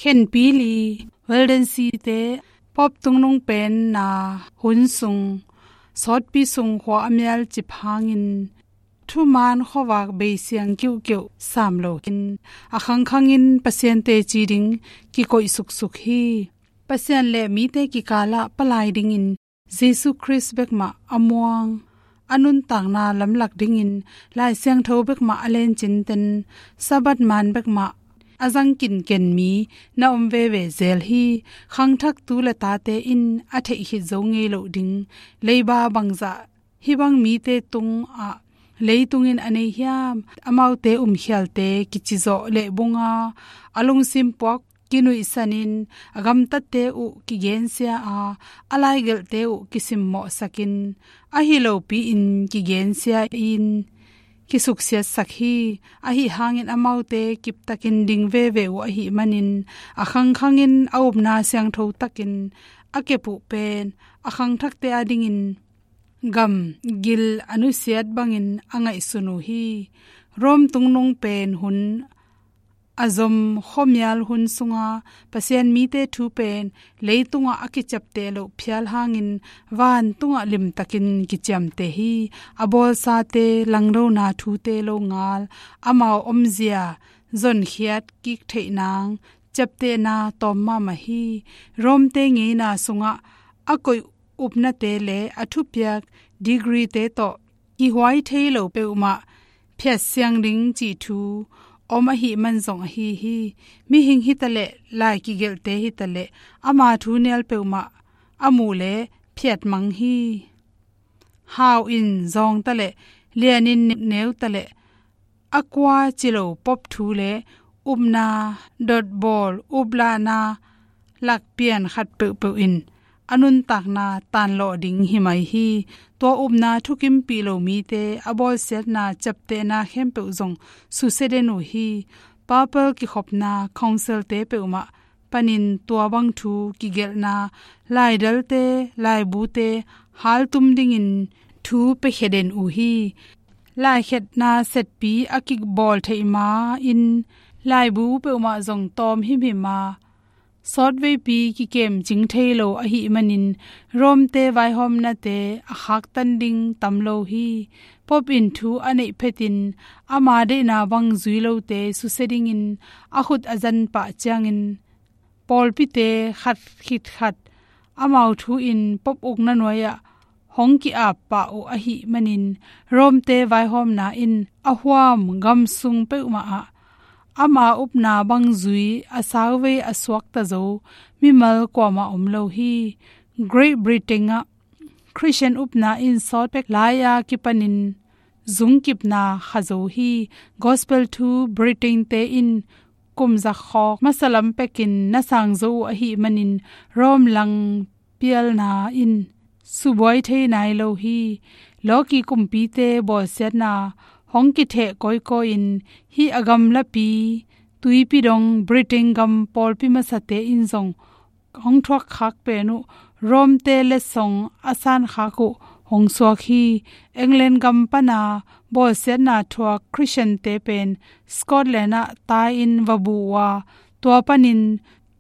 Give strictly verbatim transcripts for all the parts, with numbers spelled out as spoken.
Khenpi li, Walden City te, Pope tungnung penna hun sung, sawtpi sung khua a mial cip hangin, thuman khuavak beisiang kiuhkeuh sam lo in, a khangkhangin Pasian teci ding kikoih suksuk hi. Pasian le mite kikalah palai dingin Jesu Khrist bekmah a muang, a nuntakna lamlak dingin Lai Siangtho bekmah a lencin ten, Sabbath man bekmah a zang kinken mi na om veve zel hi. Khangthak tu le tate in a theih khit zo ngei loh ding, leiba bangzah hih bang mite tungah leitung in a nei hiam? Amaute umkhialte kicizawh lehbunga, a lungsim puak kinuihsanin, a gamtatte uh kigensia a, a laigelhte uh kisimmawhsakin, ahi lopi-in kigensia in kisuksiatsak hi. Ahi hangin amaute kiptakin ding veve uh ahih manin, a khangkhangin a upna siangtho takin a kep uh pen a khangthakte adingin gamgil a nusiat bangin a ngaihsun uh hi. Rome tungnung pen hun a zom khuamial hun sunga Pasian mite thu pen leitungah a kiciapteh loh phial hangin, vantungah limtakin kiciamteh hi. A bawlsate langdona thute longal, amau omzia zonkhiat kik theih nang ciaptehna tawm mahmah hi. Rome te ngeina sungah a koih upnate le a thupiak degree te tawh kihuai thei lo peuhmah phiatsiang ding cih thu om ahih man zong ahi hi. Mihing hitaleh, lai kigelhte hitaleh, ama thu nial peuhmah a muh le phiatmang hi. Hau in zawng taleh, lianin neu taleh, a kua ci lo Pope thu le upna dotbawl, uplahna lakpian khat peuhpeuh in a nuntakna tanlawh ding hi mai hi. Tua upna thukimpih lo mite a bawlsiatna ciaptehna khempeuh zong susia den uh hi. Papal kikhopna council te peuhmah panin tua bang thu kigelhna, laidalte, laibute haltum dingin thu piakhia den uh hi. Laikhiatna setpi a kibawl theih ma-in laibu peuhmah zong tawm himhim a, sawtveipi kikemcing thei lo ahih manin Rome te vaihawmnate a khaktan ding tam lo hi. Pope in thu a neih phetin ama deihna bang zui lote susia dingin a khut a zan pah ciangin, pawlpite khat khit khat amau thu in Pope ukna nuai-ah hong ki-ap pah uh ahih manin, Rome te vaihawmna in a huam gamsung peuhmah ah ama upna bang zui a sauvei a suakta zo mimal kuamah om lo hi. Great Britain ah Christian upna in sawt pek lai-a kipanin zungkipna kha zo hi. Gospel thu Britain te in kum za khawk masa lam pekin na sang zo uh ahih manin, Rome lang pialna in subuai thei nai lo hi. Lawki kumpite bawlsiatna hong kitheh kawikawi-in, hih a gamlapi tuipi dong Britain gam pawlpi masate in zong hong thuak khak pen uh, Rome te letsong a san khak uh hong suak hi. England gam pana bawlsiatna thuak Christian te pen Scotland ah tai-in va bu uh a, tua panin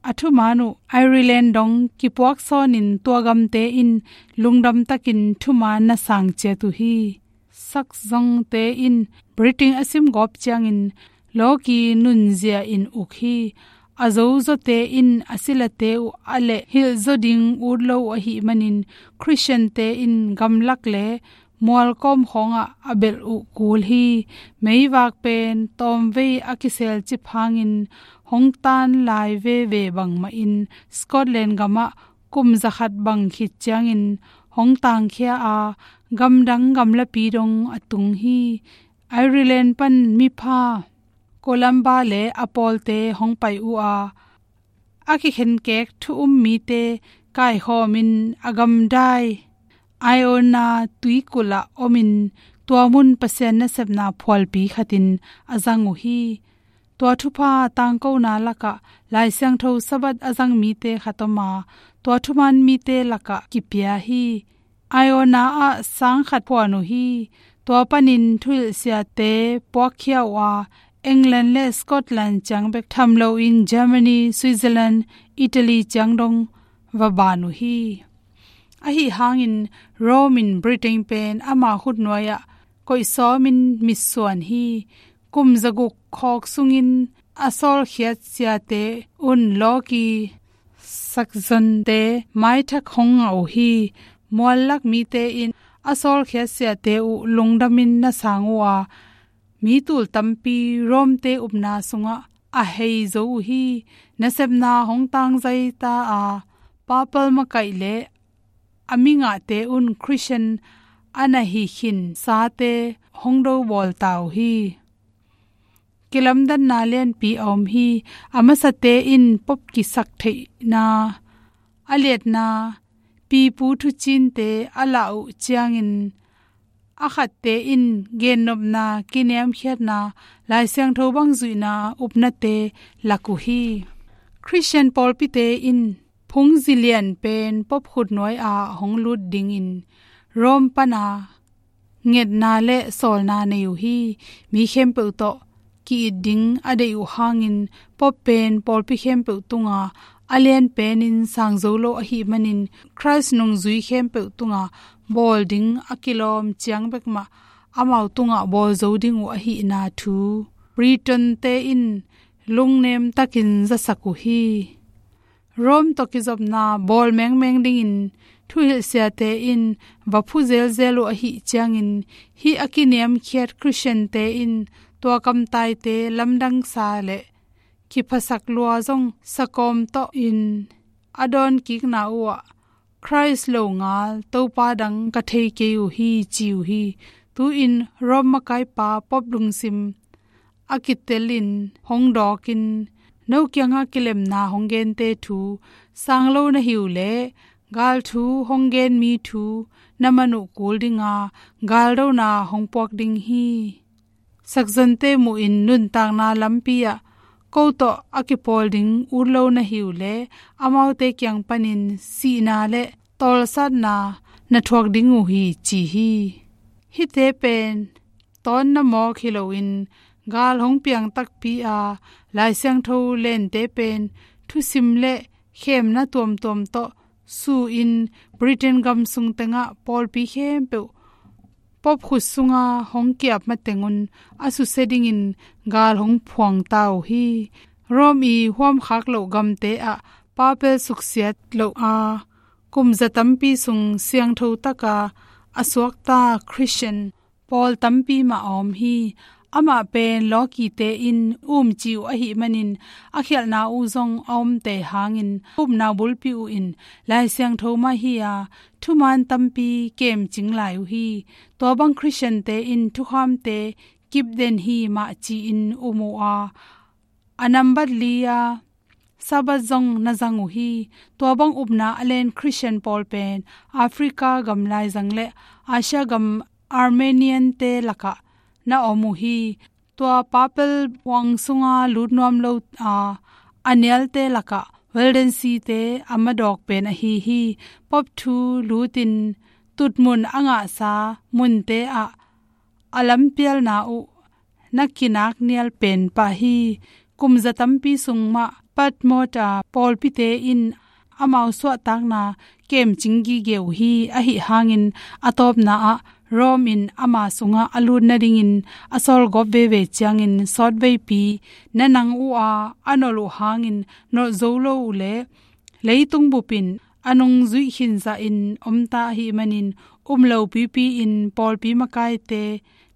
a thuman uh Ireland dong kipuak sawnin tua gamte in lungdam takin thuman na sang ciat uh hi. Saxon te in Britain a sim gawp ciangin lawki nunzia in uk hi. A zozawte in a silate uh a leh hilh zaw ding ut lo uh ahih manin, Christian te in gamlak le mualkawm khawngah a belh uh kul hi. Meivak pen tawmvei a kisel cip hangin hong tan lai veve bangmahin Scotland gamah kum zakhat bang khit ciangin hong tangkhia a, gamdang gamlapi dong a tung hi. Ireland pan mipha Columba le a pawlte hong pai uh a, a kikhenkek thu um mite kaikhawmin a gamdai Iona tuikulh ah omin tua mun Pasian nasepna phualpi khatin a zang uh hi. Tua thupha tangkona lakah Lai Siangtho Sabbath a zang mite khat om a, tua thuman mite lakah kipia hi. Iona ah sang khat phuan uh hi. Tua panin thuhilhsiate puakkhia uh a, England le Scotland ciang bek tham loin Germany, Switzerland, Italy ciang dong va ban uh hi. Ahi hangin Rome in Britain pen ama khutnuai-ah koih sawmin mitsuan hi. Kum zaguk khawk sungin a sawlkhiat siate un lawki Saxonte maithak hong ngah uh hi. Muallak mite in a sawlkhiat siate uh lungdamin na sang uh a, mi tul tampi Rome-te upna sungah a hei zo uh hi. Nasepna hong tangzai ta a, papal makaih le a mingahte un Christian a na hi khinsate hong do bawl ta uh hi. Kilamdanna lianpi a om hi. A masate in Pope kisak theihna, a liatna, pipu thucinte a lah uh ciangin, a khatte in gennopna, kiniamkhiatna, Lai Siangtho bang zuihna upnate lak uh hi. Christian pawlpite in phungzi lian pen Pope khutnuai-ah hong lut dingin Rome pana ngetna le sawlna nei uh hi. Mi khempeuh tawh ki-it ding a deih uh hangin Pope pen pawlpi khempeuh tunga a lian penin sang zo lo ahih manin Christ nungzui khempeuh tunga bawl ding a kilawm ciang bek mah amau tungah bawl zo ding uh ahihna thu Britain-te in lungnem takin zasak uh hi. Rome tawh kizopna bawl mengmeng dingin thuhilhsiate in va phu zelzel uh ahih ciangin, hih a kiniamkhiat Christian-te in tua kamtaite lamdangsa le kiphasak lua zong sakawm tawh in a dawnkikna uhah, Christ lo ngal Topa dang ka thei kei uh hi, ci uh hi. Tu-in Rome makaipa Pope lungsim a kitelin hong dawkin, no kiangah kilemna hong gente thu sang lo na hi uh leh, gal thu hong gen mi thu na man uh kul dinga, galdona hong puak ding hi. Saxon-te muhin nuntakna lampi-ah ko tawh a kipawl ding ut lo na hi uh leh, amaute kiang panin sihna le tawlsatna na thuak ding uh hi, ci hi. Hihte pen tawnna mawk hi loin, gal hong piang takpi a, Lai Siangtho lente pen thusim le khemna tuamtuam tawh su-in Britain gam sung tengah pawlpi khempeuh Pope khut sunga hong kiap matengun a susia dingin gal hong phuang ta uh hi. Rome i huamkhak loh gamte ah papal suksiat loh a, kum za tampi sung siangtho taka a suakta Christian pawl tampi mah a om hi. Amah pen lawkite in umci uh ahih manin, a khialhna uh zong a omte hangin, upna bulpi uh in Lai Siangtho mah hi a, thuman tampi kemcing lai uh hi. Tua bang Christian-te in thukhamte kipden hi mah ci-in um uh a, a nambat li-a Sabbath zong na zang uh hi. Tua bang upna a len Christian pawl pen Africa gam laizang le Asia gam Armenian-te lakah na om uh hi. Tua papal huang sunga lut nuam lo a, a nialte lakah Waldense-te a madawk pen ahi hi. Pope thu lutin tutmun a ngahsa munte ah a lampialna uh na kinak nial pen pah hi. Kum za tampi sung mah Patmos a pawlpite in amau suahtakna kemcing gige uh hi. Ahi hangin a tawpna ah Rome in ama sungah a lut nadingin a sawlgawp veve ciangin, sawtveipi na nang uh a, a nolh uh hangin nolh zo lo uh leh, leitung bupin a nungzuih khinzahin omta ahih manin, um lopipi-in pawlpi makaite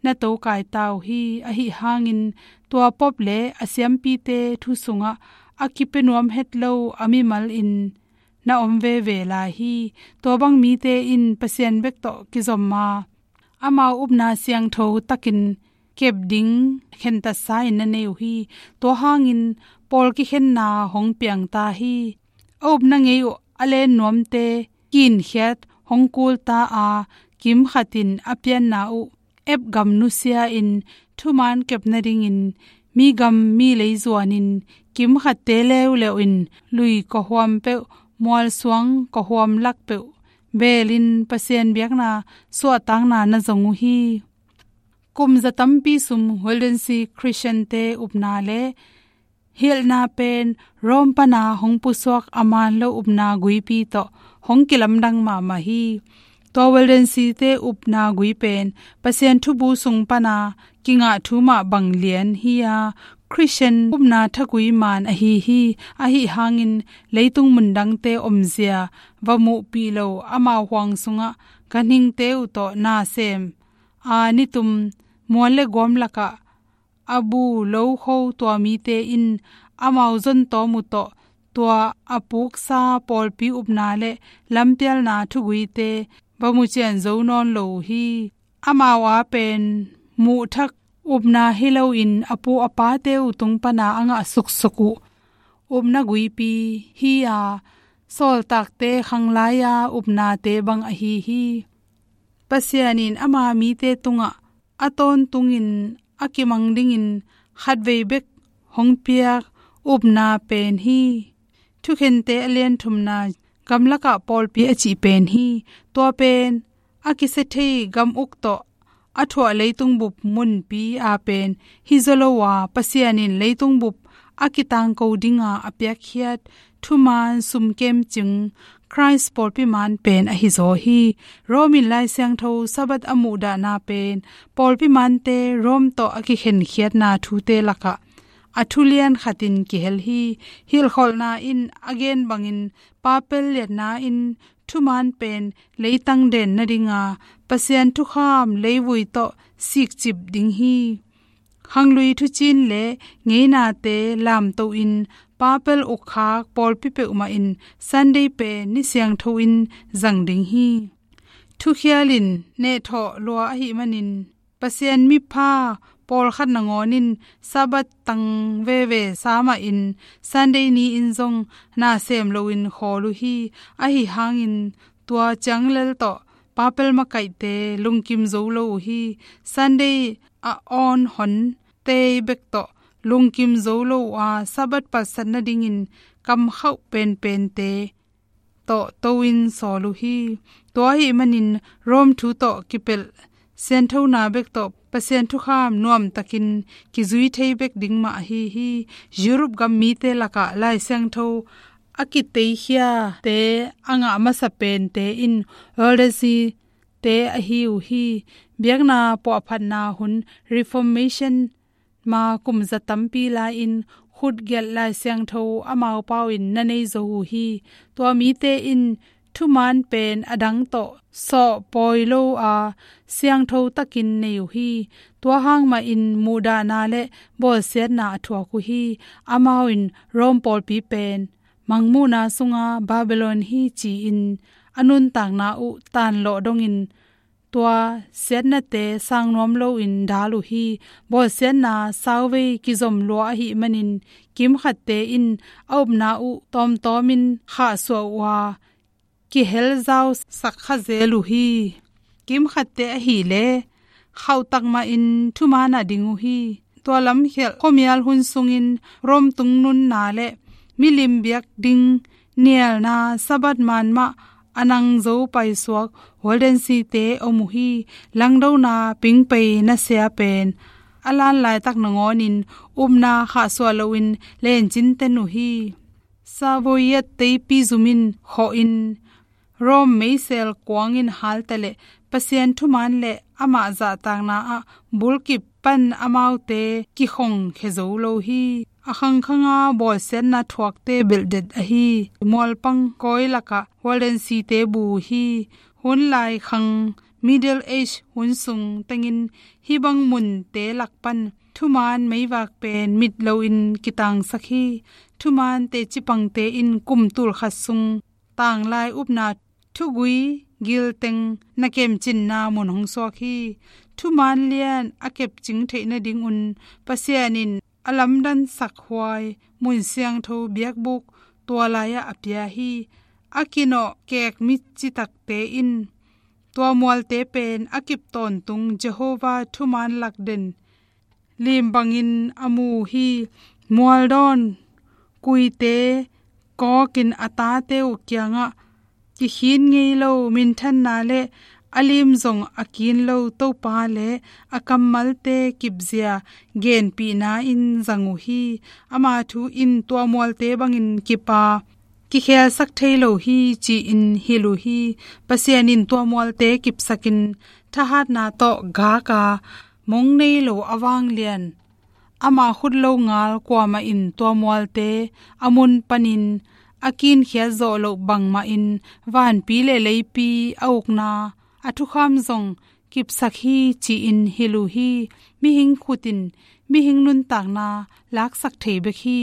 na tokai ta uh hi. Ahi hangin tua Pope le a siampite thu sungah a kipia nuam het lo a mimal in na om veve lai hi. Tua bang mite in Pasian bek tawh kizom a, amau upna siangtho takin kep ding khentatsa in na nei uh hi. Tua hangin pawl kikhenna hong piang ta hi. A upna ngei uh a len nuamte kinkhiat hong kul ta a, kimkhat in a pianna uh ep gam nusia-in thuman kep nadingin mi gam mi lei zuanin, kimkhatte leuleu in lui kawhuam peuh, mualsuang kawhuam lak peuh beelin Pasian biakna suahtakna na zong uh hi. Kum za tampi sung Waldensi Christian-te upna le hilhna pen Rome pana hong pusuak a man lo upna guipi tawh hong kilamdang mahmah hi. Tua Waldensi-te upna gui pen Pasian thubu sung pana kingah thu mah bang lian hi-a, Christian upna thagui man ahi hi. Ahi hangin leitung mundangte omzia va muhpih lo amau huang sungah ganhingte uh tawh nasem a nitum mual le guam lakah a bu lo kho tua mite in amau zon tawm uh tawh tua a puksa pawlpi upna le lampialna thuguite va mucian zo nawn lo uh hi. Amau a pen muhthak upna hi loin a pu a pate uh tung pana a ngah suksuk uh upna guipi hi-a, sawltakte khanglaia upnate bang ahi hi. Pasian in ama mite tungah a tawntungin a kimang dingin khatvei bek hong piak upna pen hi. Thukhente a lian thumna, gamlakah pawlpi a cih pen hi. Tua pen a kisia thei gam uk tawh a thuah leitung bup munpi a pen hi zaw lo a, Pasian in leitung bup a kitangko dinga a piakkhiat thuman sumkem cing Christ pawlpi man pen ahi zaw hi. Rome in Lai Siangtho Sabbath a muhdahna pen pawlpi mante Rome tawh a kikhenkhiatna thute lakah a thulian khatin kihel hi. Hilhkholhna in a gen bangin papal liatna in thuman pen leitang den nadinga Pasian thukham leivui tawh sikcip ding hi. Khanglui thucin le ngeinate lamtohin papal ukkhak pawlpi peuhmah in Sunday pen ni siangtho in zang ding hi. Thukhial in nehthawh lua ahih manin Pasian mipha pawlkhat nangawn in Sabbath tang veve sa mahin Sunday ni-in zong nasem loin khawl uh hi. Ahi hangin tua cianglel tawh papal makaihte lungkim zo lo uh hi. Sunday a awn hon tei bek tawh lungkim zo lo uh a, Sabbath palsat nadingin kamkhauh penpente tawh to-in sawl uh hi. Tua ahih manin Rome thu tawh kipelh sianthona bek tawh Pasian thukham nuamtakin kizui thei bek ding mah ahi hi. Europe gam mite lakah Lai Siangtho a kiteikhiate a ngah masa pente in Waldensi-te ahi uh hi. Biakna puahphatna hun Reformation ma kum za tampi lai-in khutgelh Lai Siangtho amau pau in na nei zo uh hi. Tua mite in thuman pen a dang tawh sawh pawi lo a, siangtho takin nei uh hi. Tua hang mahin muhdahna le bawlsiatna a thuak uh hi. Amau in Rome pawlpi pen mangmuhna sunga Babylon hi ci-in a nuntakna uh tanlawh dongin tua siatnate sang nuam loin dal uh hi. Bawlsiatna sauvei kizom lua ahih manin kimkhatte in a upna uh tawmtawmin khahsuah uh a, kihelzausak kha zel uh hi. Kimkhatte ahih leh khauhtak mahin thuman ah ding uh hi. Tua lamkhialh khuamial hun sungin Rome tungnunna le milim biak ding nialna Sabbath man mah a nang zo paisuak Waldensi-te om uh hi. Langdona pingpei nasia pen a lan laitak nangawnin upna khahsuah loin lencin ten uh hi. Savoyat teipi zumin khawhin Rome meisel kuangin halta le Pasian thuman le amah zahtakna ah bulkip pan amaute kikhongkhia zo lo hi. A khangkhanga bawlsiatna thuakte belhdet ahi mualpang kawi lakah Waldensi-te bu uh hi. Hun lai khang Middle Age hun sung tengin hih bang munte lak pan thuman meivak pen mit loin kitangsak hi. Thuman teci pangte in kum tulkhat sung tanglai upna thugui gilteng na kemcinna mun hong suak hi. Thuman lian a kepcing theih nadingun Pasian in a lamdansak huai mun siangtho biakbuk tua lai-ah a pia hi. A kinawh kek mit citakte in tua mualte pen a kip tawntung Jehovah thuman lakden lim bangin a mu uh hi. Mualdawn kuite kawkin a tate uh kiangah kikhin ngei lo minthanna le a lim zong a kin lo Topa le a kammalte kipzia genpihna in zang uh hi. Ama thu in tua mualte bangin kip a kikhelsak thei lo hi ci-in hilh uh hi. Pasian in tua mualte kipsakin thahatna tawh gak a mong nei lo a vanglian, ama khut lo ngal kuamah in tua mualte a mun panin a kinkhiat zawh loh bangmahin vanpi le leipi a ukna a thukham zong kipsak hi ci-in hilh uh hi. Mihing khut in mihing nuntakna laksak thei bek hi.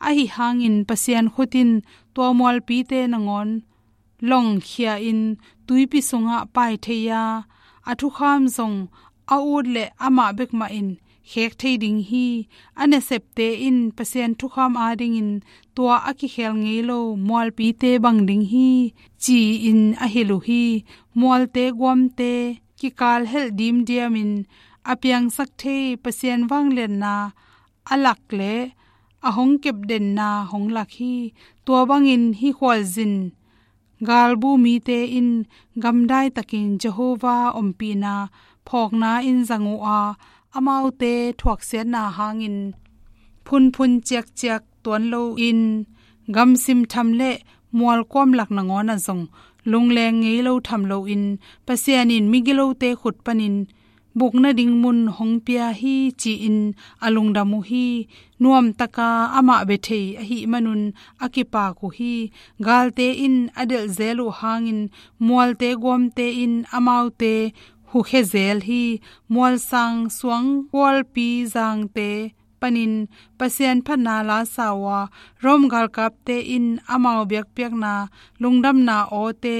Ahi hangin Pasian khut in tua mualpite nangawn lawngkhia in tuipi sungah pai thei a, a thukham zong a ut le amah bek mahin khek thei ding hi. A nasepte in Pasian thukham adingin tua a kikhel ngei lo mualpite bang ding hi ci-in a hilh uh hi. Mualte guamte kikal helh dimdiamin a piangsak thei Pasian vangliatna a lak le a hong kepdenna hong lak hi. Tua bangin hih khualzin galbu mite in gamdai takin Jehovah ompihna phawkna in zang uh a, amaute thuaksiatna hangin phunphun ciakciak tuan loin gamsim tham le mualkuam lak nangawn ah zong lungleng ngei lo tham loin Pasian in migilote khut panin buk nading mun hong pia hi ci-in a lungdam uh hi. Nuamtaka amah bia thei ahih manun a kipak uh hi. Galte in a delh zel uh hangin mualte guamte in amaute hukhia zel hi. Mualsang suang kualpi zangte panin Pasian phatna la sa uh a, Rom galkapte in amau biakpiakna lungdamna awte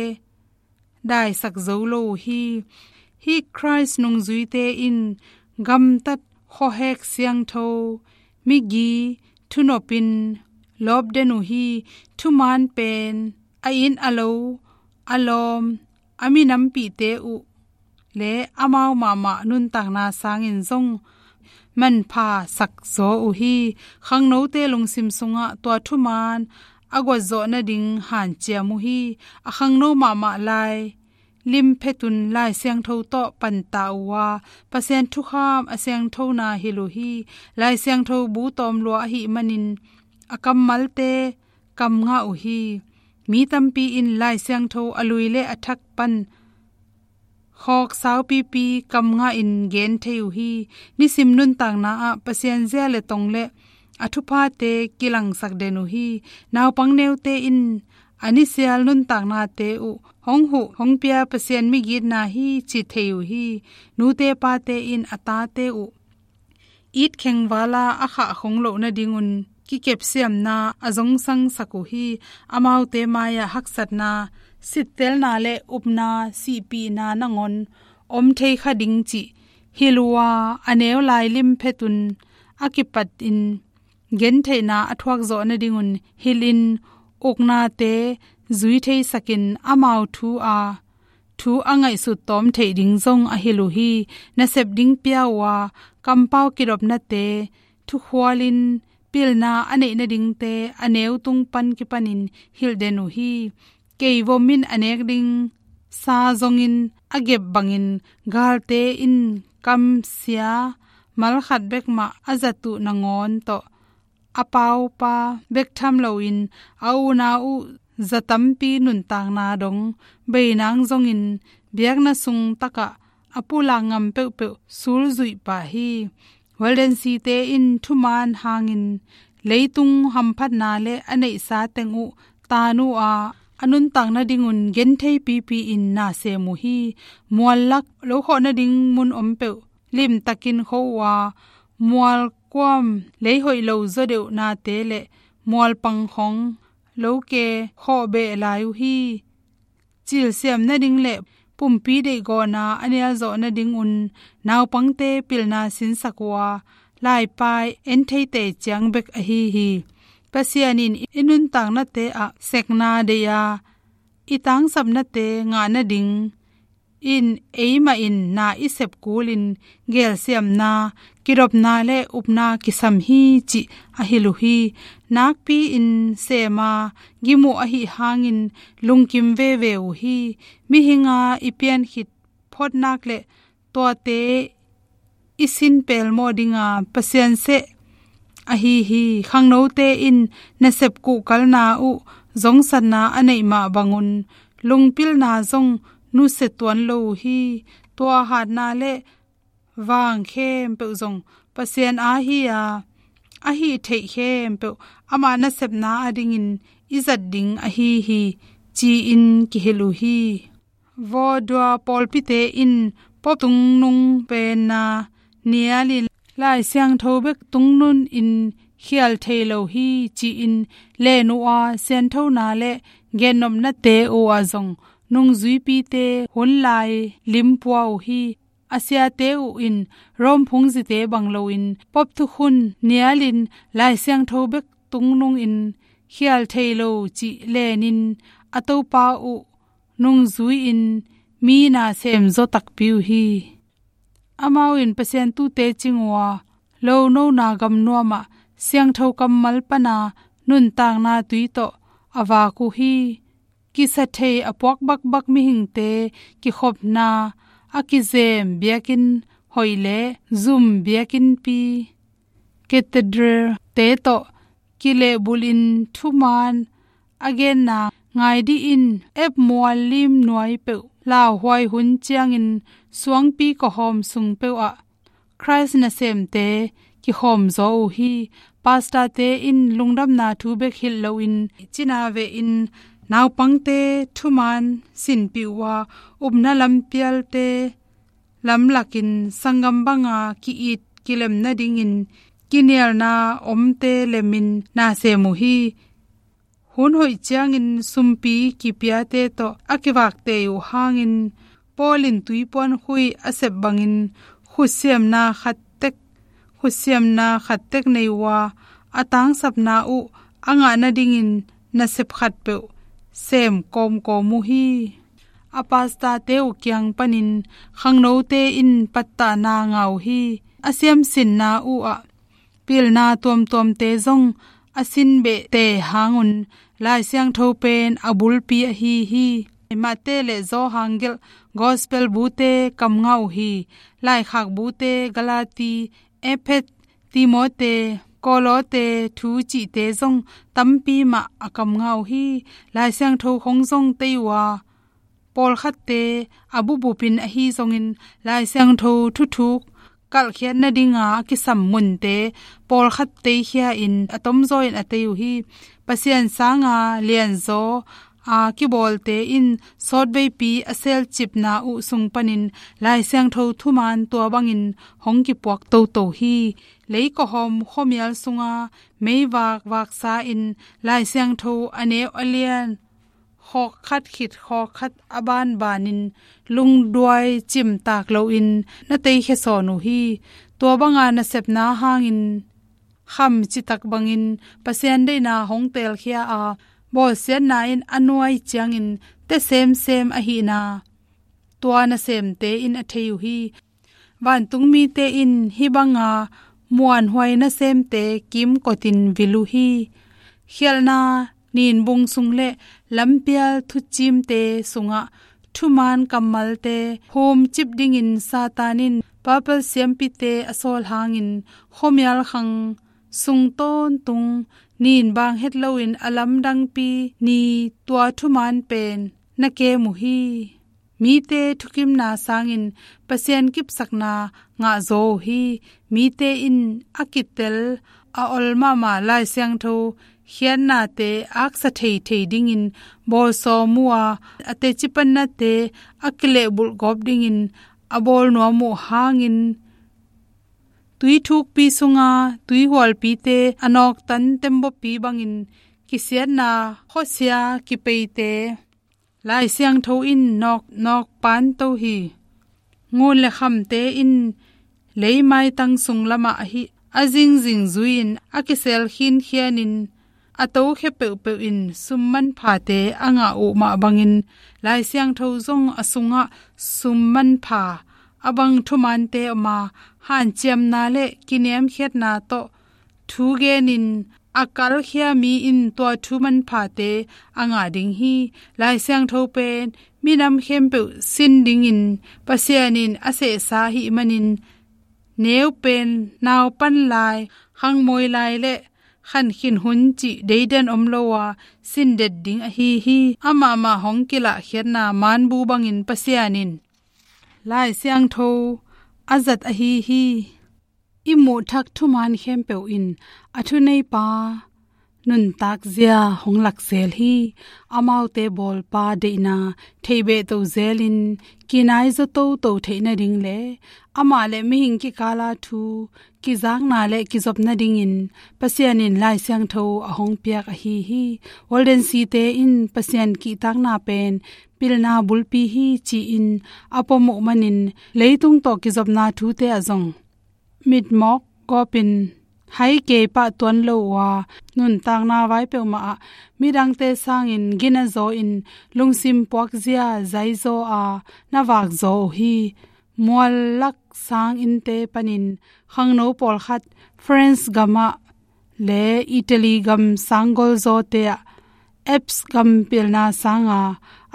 daisak zo lo uh hi. Hih Khrist nungzuite in gamtat khuahek siangtho migi thunopin lawpden uh hi. Thuman pen a inn a lo, a lawm, a minampihte uh le amau mahmah nuntakna sangin zong manpha sak zaw uh hi. Khangnote lungsim sungah tua thuman a guatzawh nading hanciam uh hi. A khangno mahmah lai limphetun Lai Siangtho tawh panta uh a, Pasian thukham a siangthona hilh uh hi. Lai Siangtho bu tawm lua ahih manin a kammalte kam ngah uh hi. Mi tampi in Lai Siangtho a lui le a thak pan khawk saupipi kam ngahin gen thei uh hi. Nisim nuntakna ah Pasian zia le tong le a thuphate kilangsak den uh hi. Naupang neute in a nisial nuntaknate uh hong huh hong pia Pasian migitna hi ci thei uh hi. Nute pate in a tate uh it khengvala a khah khong loh nadingun kikepsiamna a zongsangsak uh hi. Amaute mai-ah haksatna, sittelna le upna, sihpihna nangawn om thei kha ding cih hilh uh a, a neu lai limphetun a kipatin gentheihna a thuak zawh nadingun hilhin uknate zui theisakin amau thu a thu a ngaihsut tawm theih ding zong a hilh uh hi. Nasep ding pia uh a, kampau kidopnate thukhualin pilna a neih nadingte a neu tung pan kipanin hilh den uh hi. Keivom in a nek ding sa zongin a gep bangin galte in kamsia malkhat bek mah a zat uh nangawn tawh a paupa bek tham loin a unau uh za tampi nuntakna dong beinang zongin biakna sung takah a pulak ngam peuhpeuh sulzuih pah hi. Walden Site in thuman hangin leitung hamphatna le a neihsa teng uh taan uh a, a nuntak nadingun genthei pipi in na sem uh hi. Mual lak lo khawh nading mun om peuh limtakin kho uh a, mual kuam lei hoih lo zaw deuhnate le mual pang khong lo ke khawh beh lai uh hi. Cilsiam nading le pumpi deihgawhna a nial zawh nadingun naupangte pilna sinsak uh a, laipai en theite ciang bek ahi hi. Pasian in i nuntaknate ah sekna deih a, i tangsapnate ngah nading in eimah in na i sep kulin gelsiamna, kidopna le upna kisam hi cih a hilh uh hi. Nakpi-in sem a gim uh ahi hangin lungkim veve uh hi. Mihinga i pian khit phawtnak le tuate i sin pelmawh dinga Pasian seh ahi hi. Khangnote in nasep kuhkalna uh zongsatna a neih mah bangun lungpilna zong nusia tuan lo uh hi. Tua hatna le vang khempeuh zong Pasian a hi a, a hih theih khempeuh ama nasepna adingin i zat ding ahi hi, ci-in kihilh uh hi. Vodua pawlpite in Pope tungnung penna nialin Lai Siangtho bek tungnung in khial thei lo hi, ci-in len uh a, sianthona le gennopnate uh ah zong nungzuipite hun lai limpua uh hi. A siate uh in Rome phungzite bang loin Pope thukhun nialin Lai Siangtho bek tungnung in khial thei lo cih lenin a topa uh nungzui-in mi na sem zaw takpi uh hi. Amau in Pasian tuute cing uh a, lonona gam nuamah siangtho kammal pana nuntakna tui tawh a vak uh hi. Kisa thei a puak bakbak mihingte kikhopna, a kizem biakinn hoih le zum biakinnpi, cathedral te tawh kilehbulhin thuman a genna ngai dihin ep mual lim nuai peuh lauhuai hun ciangin suangpi kawhawm sung peuhah Khrist nasemte kikhawm zaw uh hi. Pastorte in lungdamna thu bek hilh loin cina vehin naupangte thuman sinpih uh a, upna lampialte lamlakin sanggam banga ki-it kilem nadingin kinialna omte lemin na sem uh hi. Hun hoih ciangin sumpi kipiate tawh a kivakte uh hangin Paul in tuipuan khui a sep bangin khutsiamna khat tek, khutsiamna khat tek nei uh a, a tangsapna uh a ngah nadingin nasep khatpeuh sem kawmkawm uh hi. A pastorte uh kiang panin khangnote in pattahna ngah uh hi. A siamsinna uh ah pilna tuamtuamte zong a sinbehte hangun Lai Siangtho pen a bulpi ahi hi. Mate le Johan gelh Gospel bute kam ngah uh hi. Laikhak bute Galati, Efet, Timote, Kolote thu cihte zong tampi mah a kam ngah uh hi. Lai Siangtho khong zong tei uh a, pawlkhatte a bupbupin ahi zongin Lai Siangtho thuthuk kalhkhiat nadinga a kisam munte pawlkhat teikhia in a tomzaw in a tei uh hi. Pasian sanga lianzaw a kibawlte in sawtveipi a selcipna uh sung panin Lai Siangtho thuman tua bangin hong kipuak toto hi. Leikawhawm khuamial sunga meivak vaksa in Lai Siangtho a neu a lian khawkkhat khit khawkkhat a banbanin lungduai cimtak loin na teikhia sawn uh hi. Tua banga nasepna hangin kham citak bangin Pasian deihna hong teelkhia a, bawlsiatna in a nuai ciangin te semsem ahihna tua nasemte in a thei uh hi. Vantungmite in hih banga muanhuai nasemte kimkotin vil uh hi. Khialhna ninbung sung le lampial thucimte sungah thuman kammalte humcip dingin Satan in Papal siampite a sawl hangin khuamial khang sung tawntung nin bang het loin a lamdangpi ni tua thuman pen na kem uh hi. Mite thukimna sangin Pasian kipsakna ngahzaw uh hi. Mite in a kitel a ol mahmah Lai Siangtho khiatnate aksa theithei dingin bawlsawm uh a, a teci pannate a kilehbulh gawp dingin a bawlnuam uh hangin tui thukpi sunga tuihualpite a nawktan tembaw pi bangin kisiatna khuasia kipeite Lai Siangtho in nawk, nawk panto hi. Ngun le khamte in leimaitang sung lamah ahi a zingzing zui-in a kisel khinkhianin a tokhia peuhpeuh in sum manphate a ngah uh mah bangin Lai Siangtho zong a sungah sum manpha a bang thumante om a, hanciamna le kiniamkhiatna tawh thu genin a kalkhia mi in tua thu manphate a ngah ding hi. Lai Siangtho pen minam khempeuh sin dingin Pasian in a sehsa ahih manin, neu pen nau pan lai, khangmawi lai le khankhin hun cih deidan om lo a, sin det ding ahi hi. Amah mah hong kilahkhiatna manbu bangin Pasian in Lai Siangtho a zat ahi hi. I muhthak thuman khempeuh in a thuneipa nuntak zia hong lak zel hi. Amaute bawlpa deihna theihbehto zelin kinai zaw toto theih nading le amah le mihing kikala thu kizakna le kizop nadingin Pasian in Lai Siangtho a hong piak ahi hi. Walden Site in Pasian kihtakna pen pilna bulpi hi ci-in a pom uh manin leitung tawh kizopna thute ah zong mitmawk gawpin hai kei pah tuan lo uh a, nuntakna vai peuhmah ah midangte sangin gina zaw in lungsim puakzia zaizaw a na vakzaw uh hi. Mual lak sang innte panin khangno pawlkhat France gamah le Italy gam sanggol zawte ah Alps gam pilna sanga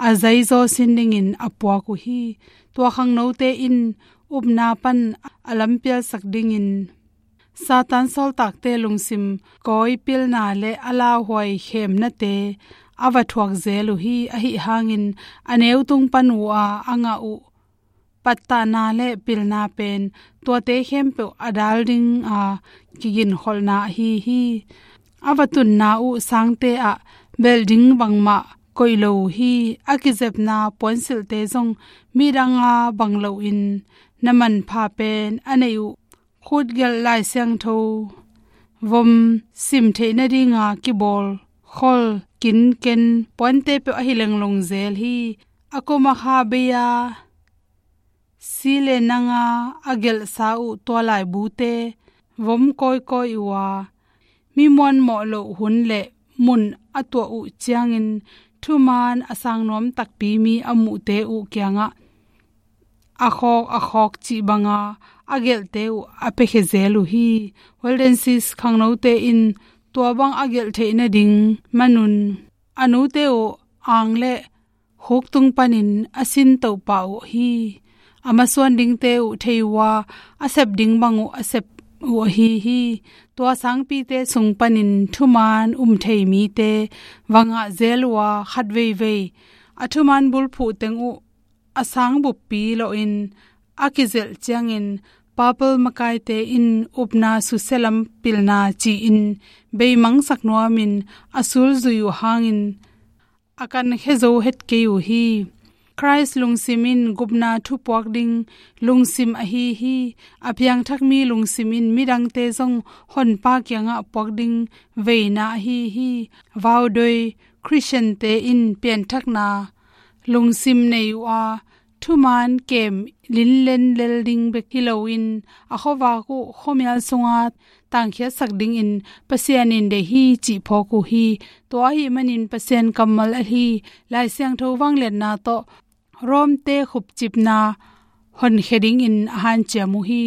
a zaizaw sin dingin a puak uh hi. Tua khangnote in upna pan a lampialsak dingin Satan sawltakte lungsim kawipilna le a lauhuai khemnate a va thuak zel uh hi. Ahi hangin a neutung pan uh a a ngah uh pattahna le pilna pen tuate khempeuh a dal dinga kiginkholhna ahi hi. A va tunna uh sangte ah belh ding bangmah koih lo uh hi. A kizepna puansilhte zong midanga bang loin na manpha pen a neih uh khutgelh Lai Siangtho vom sim theih nadinga kibawl khol kinken puante peuh ahi lenglong zel hi. A koma kha bei-a si le nanga a gelhsa uh tua laibute vom kawikawi uh a, mi muanmawh loh hun le mun a tuah uh ciangin thuman a sang nuam takpi mi a muhte uh kiangah a khawk a khawk cih banga a gelhte uh a piakhia zel uh hi. Waldenses khangnote in tua bang a gelh theih nading manun a nute uh ang le khuktung panin a sin tohpah uh hi. A masuan dingte uh thei uh a, a sep ding bang uh a sep uh ahi hi. Tua sangpite sung panin thuman um thei mite va ngah zel uh a, khat veivei a thuman bulphuh teng uh a sang buppi lawhin a kizelh ciangin Papal makaite in upna susia lam pilna ci-in beimangsak nuamin a sulzui uh hangin a kankhia zo het kei uh hi. Khrist lungsim in gupna thupuak ding lungsim ahi hi. A piangthak mi lungsim in midangte zong Honpa kiangah puak ding veina ahi hi. Vaudoi Khristiante in pianthakna lungsim nei uh a, thuman kem linlen lel ding bek hi loin a khuavak uh khuamial sunga tangkhiatsak dingin Pasian in deih hi cih phawk uh hi. Tua ahih manin Pasian kammal ahi Lai Siangtho vangliatna tawh Rom-te khupcipna honkhia dingin a hanciam uh hi.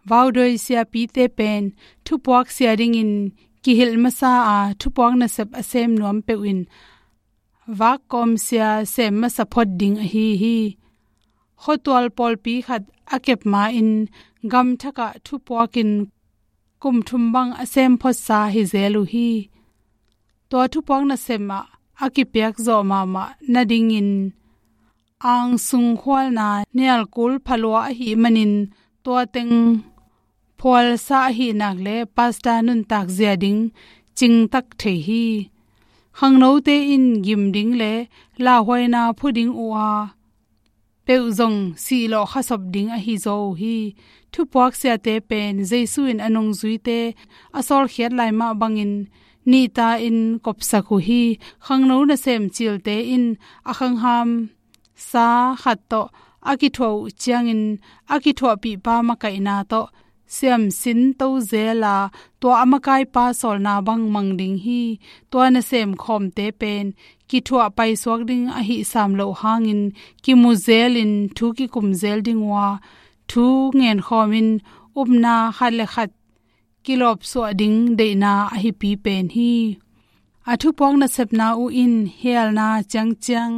Vaudoi siapite pen thupuak sia dingin kihilh masa a, thupuak nasep a sem nuam peuhin vakkawm sia sem masa phot ding ahi hi. Khuatual pawlpi khat a kep ma-in gamthakah thupuakin kum thum bang a sem photsa hi zel uh hi. Tua thupuak nasem ah a kipiak zawh mahmah nadingin angsung khualna nialkul phalua ahih manin tua teng phualsa ahih nak le pasta nuntak zia ding cingtak thei hi. Khangnote in gim ding le lauhuaina phu ding uh a, peuh zong sihlawh khasop ding ahi zaw uh hi. Thupuak siate pen Jesu in a nungzuite a sawlkhiat lai mah bangin nihta in kopsak uh hi. Khangno nasem cilte in a khangham sa khat tawh a kithuah uh ciangin a kithuahpihpa makaihna tawh siamsin to zel a, tua a makaipa sawlna bang mang ding hi. Tua nasem khawmte pen kithuah paisuak ding ahih sam loh hangin kimu zelin thu kikum zel ding uh a, thu ngenkhawmin upna khat le khat kilawpsuah ding deihna ahipi pen hi. A thupuak nasepna uh in hialna ciangciang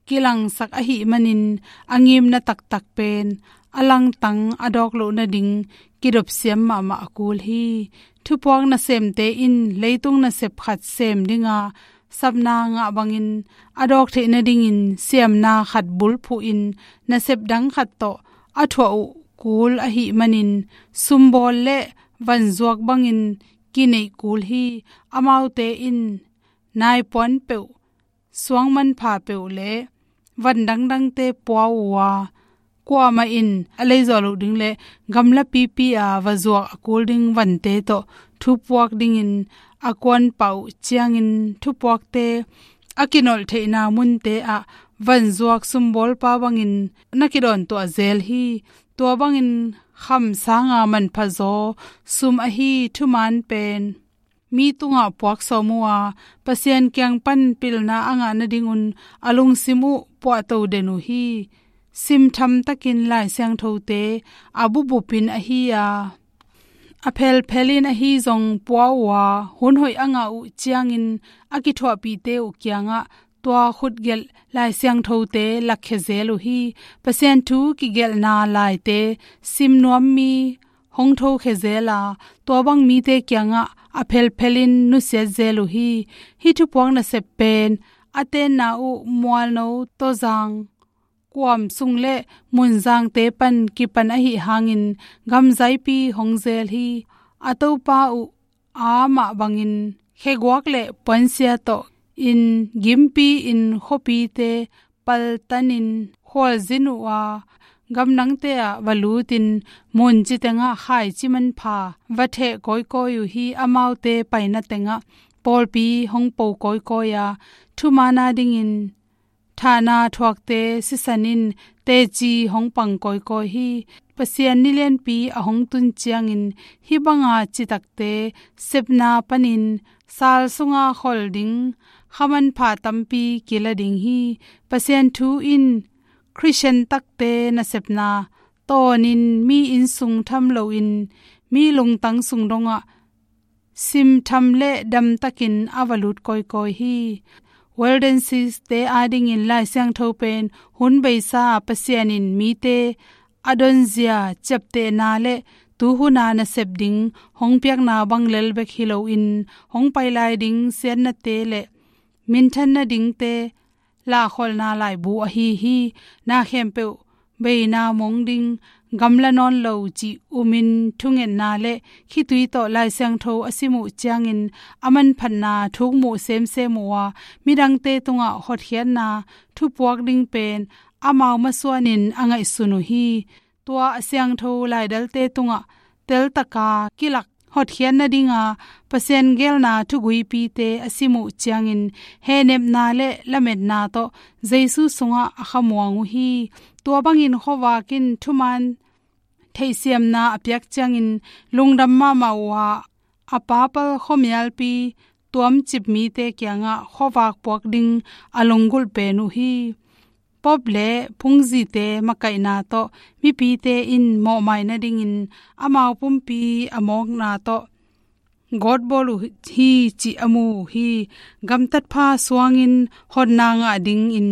kilangsak ahih manin a ngimna taktak pen a langtang a dawk loh nading kidopsiam mahmah a kul hi. Thupuak nasemte in leitung nasep khat sem dinga sapna ngah bangin a dawk theih nadingin siamna khat bulphuhin nasep dang khat tawh a thuah uh kul ahih manin sumbawl le vanzuak bangin kineih kul hi. Amaute in naipuan peuh, suang manpha peuh le van dangdangte pua uh a, kuamah in a leizaw loh ding le gamla pipi a va zuak a kul ding vante tawh thupuak dingin a kuanpah uh ciangin thupuakte a kinolh theihna munte ah vanzuak sumbawlpa bangin na kidawntuah zel hi. Tua bangin kham sanga manphazaw sum ahi thuman pen mi tungah puak sawm uh a, Pasian kiang pan pilna a ngah nadingun a lungsim uh puahto den uh hi. Simtham takin Lai Siangthote a bupbupin ahi a, a phelphelin ahi zong pua uh a, hun hoih a ngah uh ciangin a kithuahpihte uh kiangah tua khutgelh Lai Siangthote lakkhia zel uh hi. Pasian thu kigelhna laite sim nuam mi hong thokhia zel a, tua bang mite kiangah a phelphelin nusiat zel uh hi. Hih thupuak nasep pen a tenna uh mualno, tawzang, kuam sung le munzangte pan kipan ahi hangin gamzaipi hong zel hi. A topa uh a mah bangin kheguak le puansia tawh in gimpi in khuapite paltanin khualzin uh a, gamdangte ah va lutin munci tengah khaici manpha va theh kawikawi uh hi. Amaute paina tengah pawlpi hong po kawikawi a, thuman a dingin thahna thuakte sisan in teci hong pang kawikawi hi. Pasian ni lianpi a hong tun ciangin hih banga citakte sepna panin sal sunga khol ding kha manpha tampi kila ding hi. Pasian thu in Khristian takte nasepna tawnin mi innsung tham loin mi lungtang sung dongah simtham le damtakin a va lut kawikawi hi. Waldenses-te adingin Lai Siangtho pen hun beisa Pasian in mite a donzia ciaptehna le tuhuna nasep ding hong piakna bang lel bek hi loin hong pai lai ding siatnate le minthan nadingte lahkholhna laibu ahi hi. Na khempeuh beina mong ding, gamla nawn lo cih umin thungetna le khitui tawh Lai Siangtho a sim uh ciangin a manphatna thukmuh semsem uh a, midangte tungah hotkhiatna thupuak ding pen amau masuanin a ngaihsun uh hi. Tua a siangtho laidalte tungah teltaka kilak hotkhiat nadinga Pasian geelna thuguipite a sim uh ciangin hehnepna le lametna tawh Jesu sungah a khamuang uh hi. Tua bangin khuavak in thuman theihsiamna a piak ciangin lungdam mahmah uh a, a papal khuamialpi tuamcip mite kiangah khuavak puak ding a lunggulh pen uh hi. Pope le phungzite makaihna tawh mipite in mawhmai nadingin amau pumpi a mawkna tawh gawtbawl uh hi cih a mu uh hi. Gamtatpha suangin hotna ngah dingin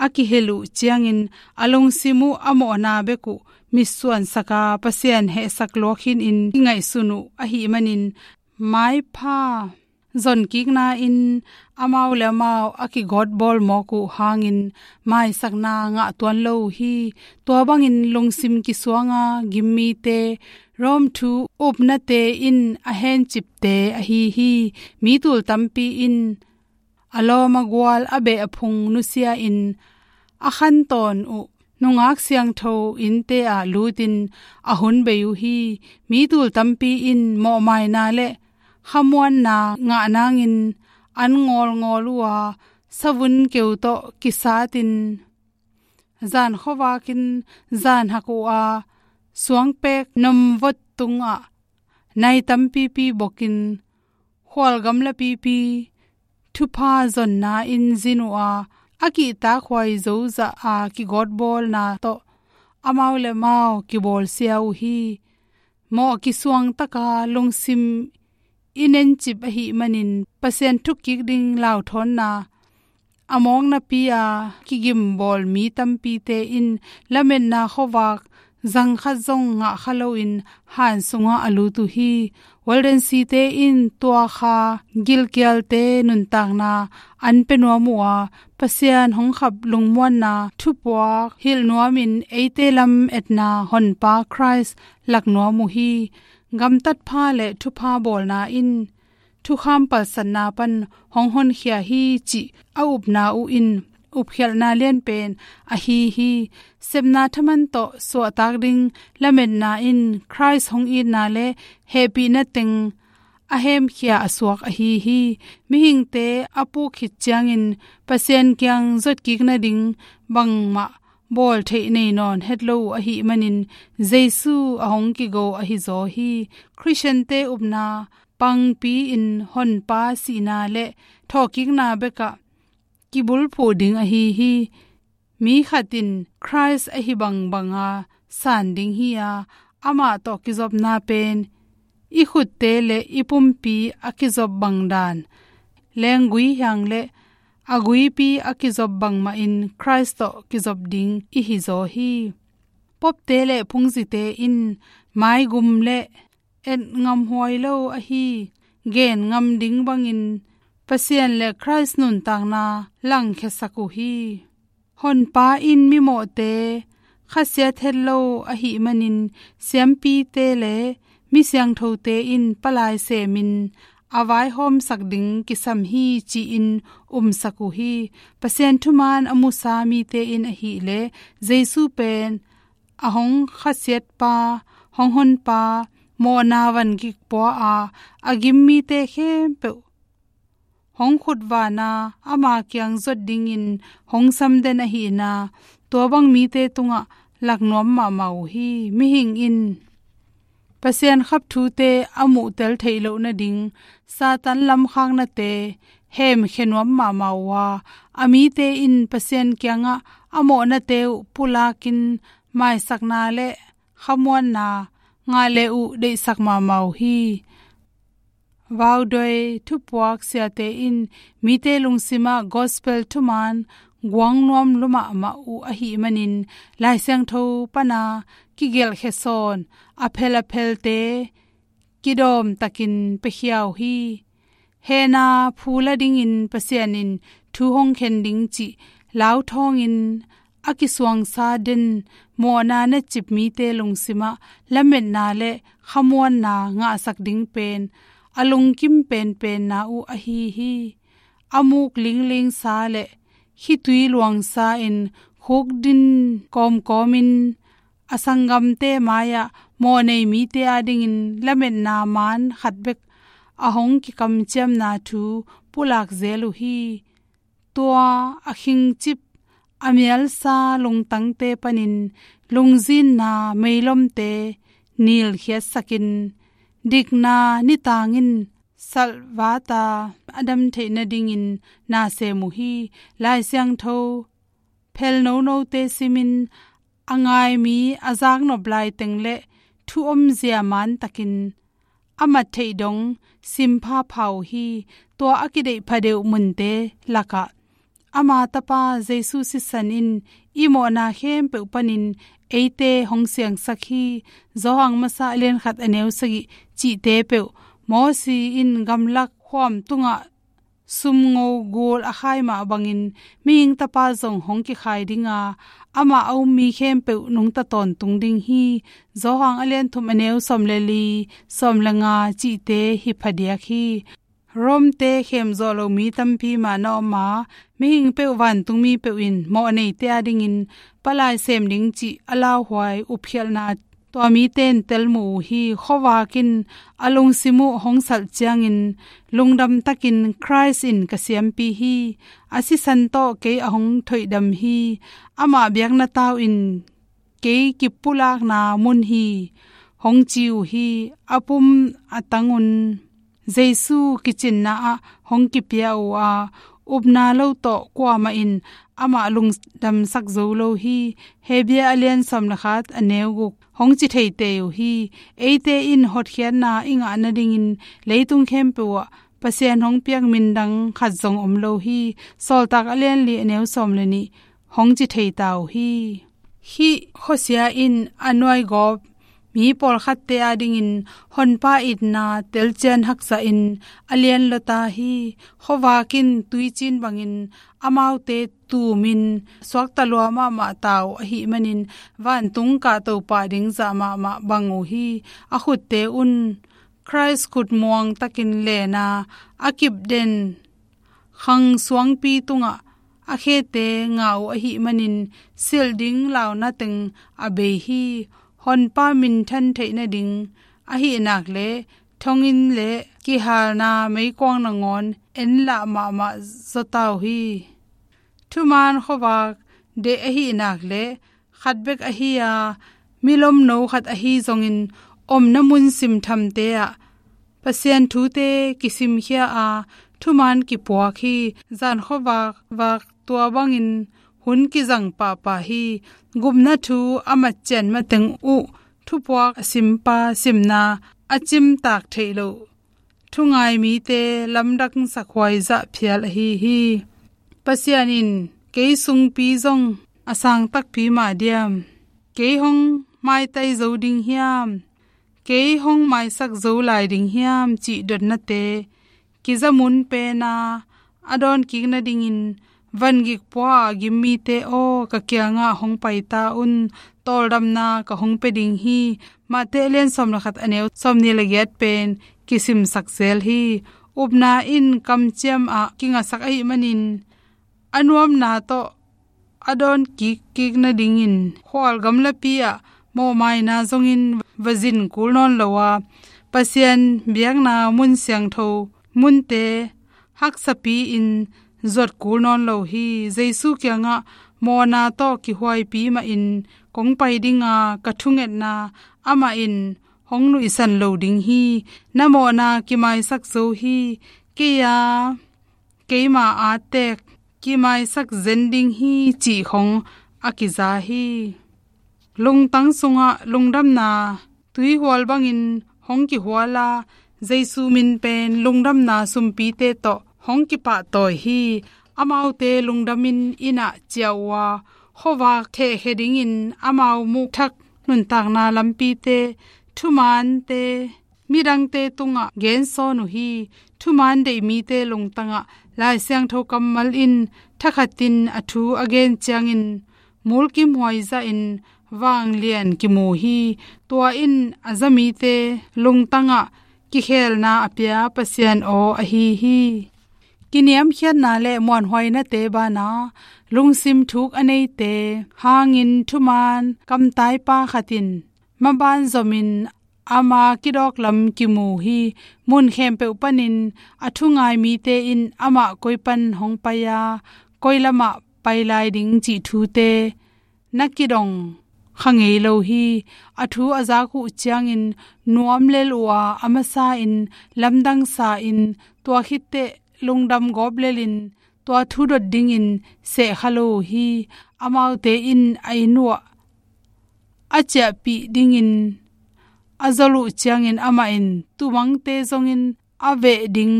a kihilh uh ciangin a lungsim uh a mawhna bek uh mitsuansaka Pasian hehsak luakhin in kingaihsun uh ahih manin maipha zonkikna in amau le amau a kigawtbawl mawk uh hangin maisakna ngah tuan lo uh hi. Tua bangin lungsim kisuanga gimmite, Rome thu upnate in a hencipte ahi hi. Mi tul tampi in a lawm a gual a beh a phung nusia in a khantawn uh nungak siangtho innte ah lutin a hun bei uh hi. Mi tul tampi in mawhmaina le khamuanna ngah nangin an ngawlngawl uh a, savun keu tawh kisatin zan khuavakin zan hak uh a, suangpek nomvot tungah nai tampipi bokin khual gamlapipi thupha zonna in zin uh a, a kihtakhuai zozah a kigawtbawlna tawh amau le amau kibawlsia uh hi. mawh kisuang taka lungsim i nencip ahih manin Pasian thukik ding lauthawnna a mawknapi a kigimbawl mi tampite in lametna khuavak zang khat zong ngah kha loin han sungah a lut uh hi. Walden Site in tua kha gilkialte nuntakna an pia nuam uh a, Pasian hong khap lungmuanna thupuak hilh nuamin eite lam etna Honpa Khrist lak nuam uh hi. Gamtatpha le thupha bawlna in thukham palsatna pan hong honkhia hi cih a upna uh in upkhialhna lianpen ahi hi. Sepna thaman tawh suahtak ding lametna in Khrist hong itna le hehpihna teng a hemkhia a suak ahi hi. Mihingte a puk khit ciangin Pasian kiang zotkik nading bangmah bawl theih nei nawn het lo uh ahih manin Jesu a hong kigo ahi zaw hi. Khristiante upna pangpi in Honpa sihna le thawhkikna bekah kibulphuh ding ahi hi. Mi khat in Khrist ahi bangbanga san ding hi a, amah tawh kizopna pen i khutte le i pumpi a kizop bang dan lenggui hiang le a guipi a kizop bangmah in Khrist tawh kizop ding i hi zaw hi. Popte le phungzite in maigum le et ngamhuai lo ahi gen ngam ding bangin Pasian le Khrist nuntakna langkhiasak uh hi. Honpa in mimawhte khasiat het lo ahih manin siampite le mi siangthote in palai semin a vaihawmsak ding kisam hi ci-in umsak uh hi. Pasian thuman a musa mite in ahileh Jesu pen a hong khasiatpa, hong honpa, mawhna van kipua a a gim mite khempeuh hong khutvana ama kiang zot dingin hong samden ahihna tua bang mite tungah lak nuam mahmah uh hi. Mihing in Pasian khap thute a muhtel theih loh nading Satan lamkhaknate hemkhia nuam mahmah uh a, a mite in Pasian kiangah a mawhnate uh pulakin maisakna le khamuanna ngah le uh deihsak mahmah uh hi. Vaudoi thupuak siate in mite lungsimah gospel thuman guang nuam lua mahmah uh ahih manin Lai Siangtho pana kigelhkhia sawn a phel a phelte kidawm takin piakhia uh hi. Hehna phu la dingin Pasian in thu hong khen ding cih lau thawngin a kisuangsa den mawhna necip mite lungsimah lametna le khamuanna ngahsak ding pen a lungkim penpenna uh ahi hi. A muk linglingsa le khitui luangsa in khukdin kawmkawmin a sanggamte mai-ah mawhnei mite adingin lametna maan khat bek a hong kikamciamna thu pulak zel uh hi. Tua a khingcip a mialsa lungtangte panin lungzinna meilomte nilkhiatsakin dikna nitangin salvata a dam theih nadingin na sem uh hi. Lai Siangtho phel nonote simin a ngai mi a zaknop laiteng le thu omzia mantakin a mat theih dong simpha pha uh hi. Tua a kideih phadeuh munte lakah ama tapa Jesu sisan in i mawhna khempeuh panin eite hong siangsak hi. Johan masa a lian khat a neu sagih cihte peuh Mosi in gamlak khuam tungah sumngo gul a khai mah bangin mihing tapa zong hong kikhai dinga amah a um mi khempeuh nungta tawntung ding hi. Johan a lian thum a neu sawm le li, sawm le nga cihte hi phadiak hi. Rome-te khemzawh lo mi tampi mah na om a, mihing peuh vantungmi peuh in mawhneite adingin palai sem ding cih a lauhuai upkhialhna tua mite in telmu uh hi. Khuavak in a lungsim uh hong salh ciangin lungdam takin Khrist in ka siampi hi. A sisan tawh kei a hong thoihdam hi. Amah biakna tau in kei kipulakna mun hi hong ci uh hi. A pum a tang un Jesu kicinna ah hong kipia uh a, upna lo tawh kuamah in amah lungdamsak zo lo hi. Hebru a lian sawm le khat a neu guk hong ci thei tei uh hi. Eite in hotkhiatna i ngah nadingin leitung khempeuh ah Pasian hong piak min dang khat zong om lo hi. Sawltak a lian li a neu sawm le nih hong ci thei ta uh hi. Hih khuasia in a nuaigawp mi pawlkhatte adingin Honpa itna telcian haksa in a lian lua ta hi. Khuavak in tuicin bangin amaute tumin suakta lua mahmah ta uh ahih manin vantung kahto pah ding zah mahmah bang uh hi. A khutte un Khrist khut muang takin len a, a kip den khang suangpi tungah a khete ngah uh ahih manin silh ding launa teng a bei hi. Honpa minthan theih nading ahih nak leh thonginn le kihalna meikuang nangawn en lah mahmah zaw ta uh hi. Thumaan khuavak deih ahih nak leh khat bek ahi a, milomno khat ahi zongin omna mun simthamte ah Pasian thute kisimkhia a, thumaan kipuak hi. Zan khuavak vak tua bangin hun kizang pahpah hi. Gupna thu a matcian mateng uh thupuak a simpa simna a cimtak theih loh thungai mite lamdang sakhuai zah phial ahi hi. Pasian in kei sungpi zong a sang takpi mah diam? Kei hong maitai zo ding hiam? Kei hong maisak zo lai ding hiam? Cih dotnate kizamun pena a dawn kik nadingin vangik pua a gim mite aw, ka kiangah hong pai ta un, tawldamna ka hong pia ding hi. Mate a lian sawm le khat a neu sawm nih le giat pen kisimsak zel hi. Upna in kamciam ah kingasak ahih manin a nuamna tawh a dawn kikkik nadingin khual gamlapi ah mawhmaina zongin va zin kul nawn lo a, Pasian biakna mun siangtho munte haksapi in zuat kul nawn lo hi. Jesu kiangah mawhna tawh kihuaipi mahin kong pai dinga ka thungetna amah in hong nuihsan lo ding hi. Na mawhna kimaisak zo hi. Kei a keima attek kimaisak zen ding hi, cih khong a kiza hi. Lungtang sungah lungdamna tuihual bangin hong kihual a, Jesu min pen lungdamna sumpite tawh hong kipahtawi hi. Amaute lungdamin inn ah ciah uh a, khuavak thehkhia dingin amau muhthak nuntakna lampite, thumaante midangte tungah gensawn uh hi. Thumaan deih mite lungtangah Lai Siangtho kammal in thakhatin a thu a gen ciangin mulkimhuai zahin vanglian kimu hi. Tua in a za mite lungtangah kikhelna a pia Pasian aw ahi hi. Kiniamkhiatna le muanhuainate bana lungsim thuk a neite hangin thumaan kamtaipa khatin maban zomin ama kidawk lam kimu hi. Mun khempeuh panin a thungai mite in amah koi pan hong pai a, koi lamah pai lai ding cih thute na kidong kha ngei lo hi. A thu a zak uh ciangin nuam lel uh a, a masa in lamdang sa in, tua khitteh lungdam gawp lelin tua thu dot dingin seh kha lo uh hi. Amaute in a inn uh ah a ciahpih dingin a zol uh ciangin amah in tumangte zongin a veh ding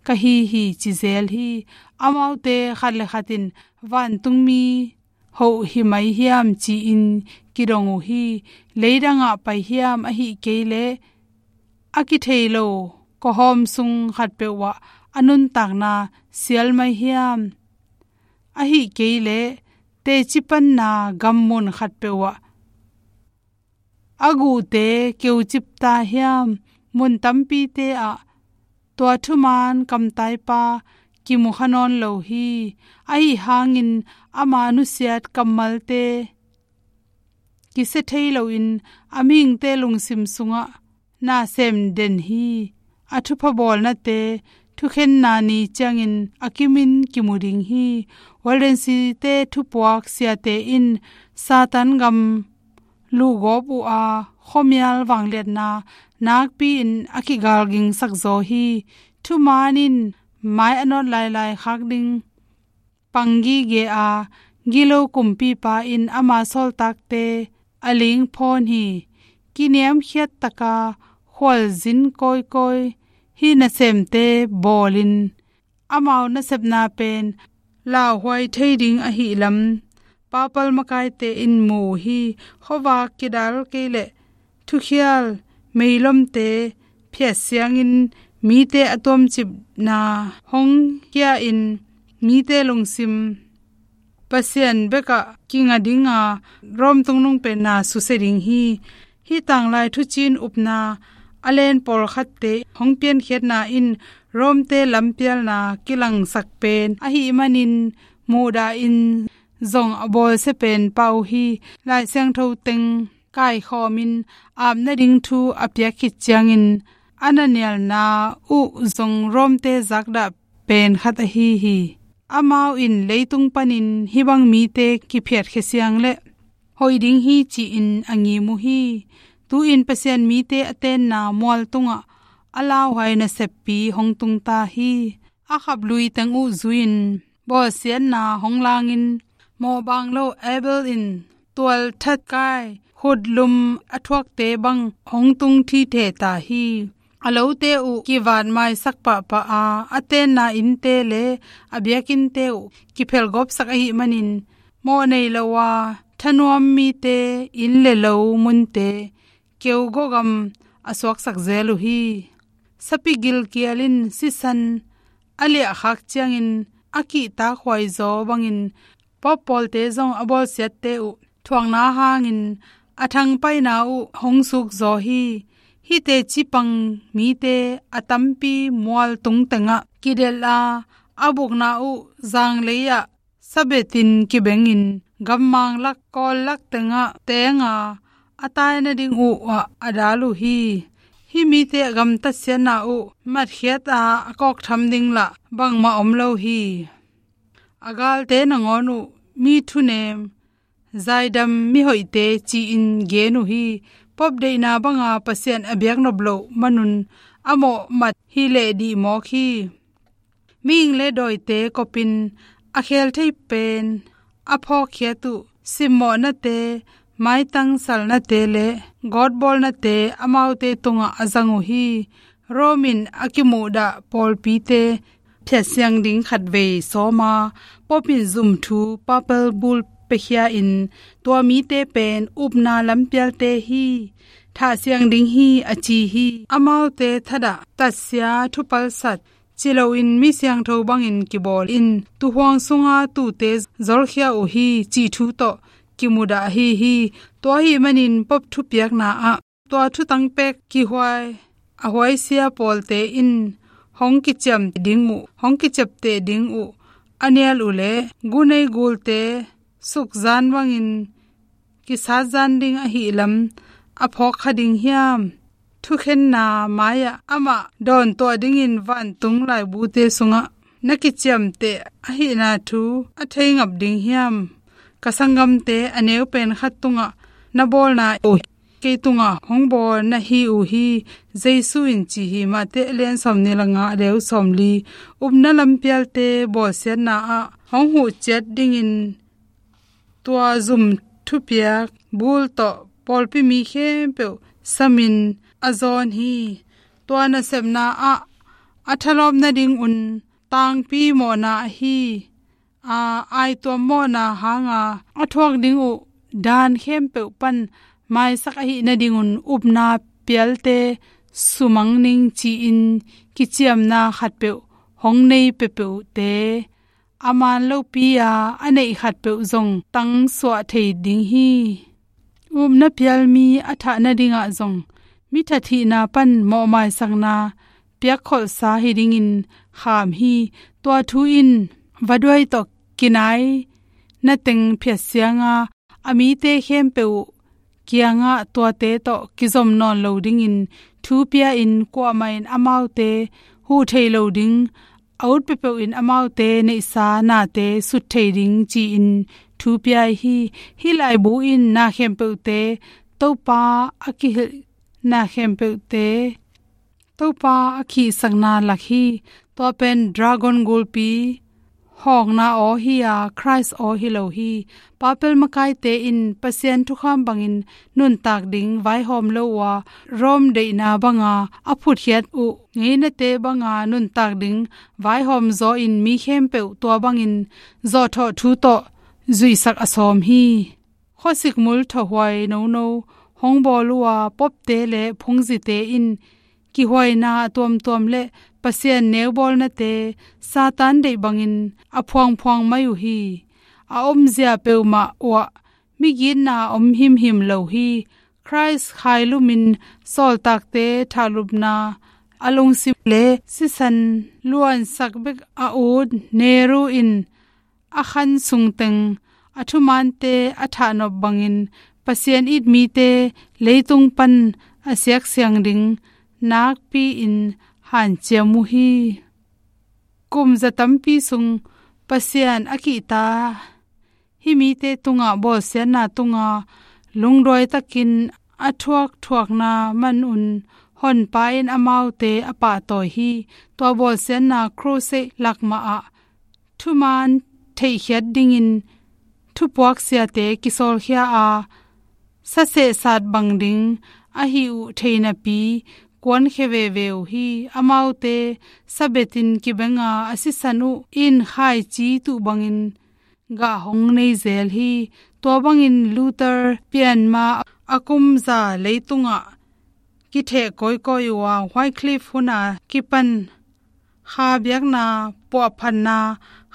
ka hi hi ci zel hi. Amaute khat le khat in vantungmi hoh hi mai hiam ci-in kidong uh hi. Leidangah pai hiam, ahih kei leh a kithei lo kawhawm sung khatpeuh ah a nuntakna sial mai hiam, ahih kei leh teci panna gammun khatpeuh ah a guhte keucip ta hiam? Mun tampite ah tua thumaan kamtaipa kimu kha nawn lo hi. Ahi hangin ama nusiat kammalte kisia thei loin a mihingte lungsim sungah na sem den hi. A thupha bawlnate thukhenna ni ciangin a kimin kimu ding hi. Walden City-te thupuak siate in Satan gam luhgawp uh a, khuamial vangliatna nakpi-in a kigalgingsak zaw hi. Thumaan in mai a nawt lailai khak ding pang gige a, gilo kumpipa in ama sawltakte a ling phawn hi. Kiniamkhiat taka khualzin kawikawi hih nasemte bawlin, amau nasepna pen lauhuai thei ding ahih lam papal makaite in mu uh hi. Khuavak kidal kei leh thukhial meilomte phiat siangin mite a tuamcipna hong khia-in mite lungsim Pasian bekah kinga dinga Rom tungnung pen na susia ding hi. Hih tanglai thuciin upna a len pawlkhatte hong piankhiatna in Romte lampialna kilangsak pen ahih manin mudah in zong a bawlsia pen pah uh hi. Lai Siangtho teng kaikhawmin ap nading thu a piak khit ciangin a na nialna uh zong Romte zakdah pen khat ahi hi. Amau in leitung panin hih bang mite kiphiatkhia siang leh hoih ding hi ci-in a ngim uh hi. Tu-in Pasian mite a tenna mual tungah a lauhuai naseppi hong tungta hi. A khap lui teng uh zui-in bawlsiatna hong langin mawhbang lo Abel in tualthat kai khutlum a thuakte bang hong tung thithe ta hi. A lote uh kivat maisak pahpah a, a tenna innte le a biakinnte uh kiphelgawpsak ahih manin mawh nei lo a thanuam mite inn le lo munte keugawgam a suaksak zel uh hi. Sapi gilkial in sisan a liahkhak ciangin a kihtakhuai zaw bangin Pope pawlte zong a bawlsiatte uh thuakna hangin a thangpaina uh hong sukzaw hi. Hihte cipang mite a tampi mual tung tengah kidelh a, a bukna uh zanglei-ah sabetin kibengin gammang lak kawl lak tengah teng a, a tai nading uh ah a dal uh hi. Hih mite a gamtatsiatna uh matkhiat a, a kawktham ding lah bangmah om lo hi. A galte nangawn uh mi thunem, zaidam mihoihte ci-in gen uh hi. Pope deihna banga Pasian a biaknop loh manun a mawhmat hi leh dih mawk hi. Mihing le dawite kopin a khel thei pen a phawkkhiat uh simmawhnate, maitang salnate le gawtbawlnate amaute tungah a zang uh hi. Rome in a kimuhdah pawlpite phiatsiang ding khatvei sawma Pope in zumthu papal bull piakhia-in tua mite pen upna lampialte hi, thahsiang ding hi a ci hi. Amaute thadah tatsia thupalsat ci loin mi siangtho bangin kibawl in tuuhuang sunga tuute zolkhia uh hi cih thu tawh kimudah ahi hi. Tua ahih manin Pope thupiakna ah tua thutang pek kihuai a huaisia pawlte in hong kiciam ding uh, hong kiciapteh ding uh a nial uh leh gunei gulte sukzan bangin kisatzan ding ahih lam a phawkkha ding hiam? Thukhenna mai-ah amah dawntuah dingin vantung laibute sungah na kiciamteh ahihna thu a thei ngap ding hiam? Ka sanggamte a neu pen khat tungah na bawlna uh kei tungah hong bawl na hi uh hi, Jesu in ci hi. Matthai a lian sawmnih le nga, a deu sawmli. Upna lampialte bawlsiatna ah hong huh ciat dingin tua zum thupiak bull tawh pawlpi mi khempeuh samin a zawn hi. Tua nasepna ah a thalawp nadingun tangpi mawhna ahi a, aituam mawhna hanga a thuak ding uh dan khempeuh pan maisak ahih nadingun upna pialte sumang ning ci-in kiciamna khatpeuh hong nei peuhpeuhte a man lopi a, a neih khatpeuh zong tangsuah thei ding hi. Upna pialmi a thah nadingah zong mi thathihna pan mawhmaisakna piakkholhsa hi dingin kham hi. Tua thu in vaduai tawh kinai na teng phiatsianga a mite khempeuh kiangah tuate tawh kizom nawn lo dingin thu pia-in kuamah in amaute huh thei lo ding, a ut peuhpeuh in amaute neihsa nate sut thei ding ci-in thu pia hi. Hih laibu in na khempeuhte Topa a kihilh, na khempeuhte Topa a khihsakna lak hi. Tua pen dragon gulpi hawkna aw hi a, Christ aw hi lo hi. Papal makaite in Pasian thukham bangin nuntak ding vaihawm lo uh a, Rome deihna banga a phutkhiat uh ngeinate banga nuntak ding vaihawm zaw in mi khempeuh tua bangin zawhthawh thu tawh zuihsak a sawm hi. Khuasikmul thawhuai nono hong bawl uh a, popte le phungzite in kihuaina a tuamtuam le Pasian neubawlnate Satan deih bangin a phuangphuang mai uh hi. A omzia peuhmah uah migitna om himhim lo hi. Christ khailumin sawltakte thahlupna a lungsim le sisan luansak bek a ut Nero in a khan sungteng a thumante a thahnop bangin Pasian it mite leitung pan a siaksiang ding nakpi-in hanciam uh hi. Kum za tampi sung Pasian a kihta hih mite tungah bawlsiatna tunga lungduaitakin a thuakthuakna manun Honpa in amaute a pahtawi hi. Tua bawlsiatna crusade lakmah ah thuman theihkhiat dingin thupuak siate kisawlkhia a, sasehsat bang ding ahi uh thei napi kuankhia veve uh hi. Amaute sabetin kibenga a sisan uh in khaici tuh bangin gah hong nei zel hi. Tua bangin Luther pianma a kum za leitungah kitheh kawikawi uh a, Wycliffe huna kipan kha biakna puahphatna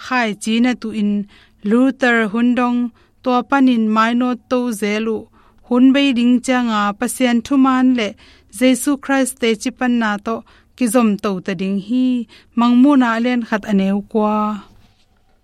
khaici na tuhin Luther hun dong tua panin mainawt to zel uh hun bei ding cianga Pasian thuman le Jesu Christ tecipanna tawh kizomto ta ding hi. Mangmuhna a lian khat a neu kua.